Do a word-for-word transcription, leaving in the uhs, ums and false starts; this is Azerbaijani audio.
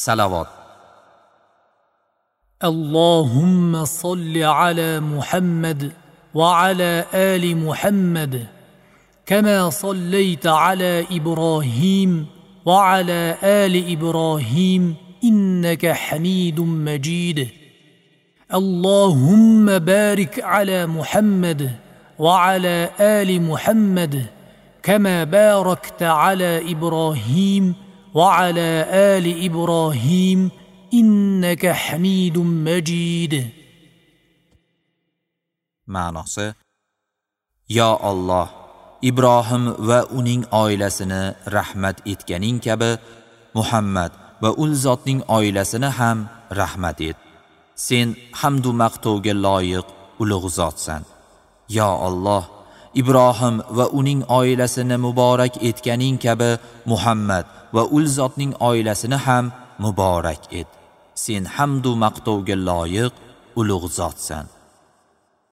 Salavat. اللهم صل على محمد وعلى آل محمد كما صليت على إبراهيم وعلى آل إبراهيم إنك حميد مجيد. اللهم بارك على محمد وعلى آل محمد كما باركت على إبراهيم وعلى آل إبراهيم إنك حميد مجيد. Ma'nosi: Ya Allah, Ibrohim va uning oilasini rahmat etganing kabi Muhammad va ul zotning oilasini ham rahmat et. Sen hamd va maqtovga loyiq ulug' zotsan. Ya Allah, Ibrohim va uning oilasini muborak etganing kabi Muhammad va ul zotning oilasini ham muborak et. Sen hamd va maqtovga loyiq ulug' zotsan.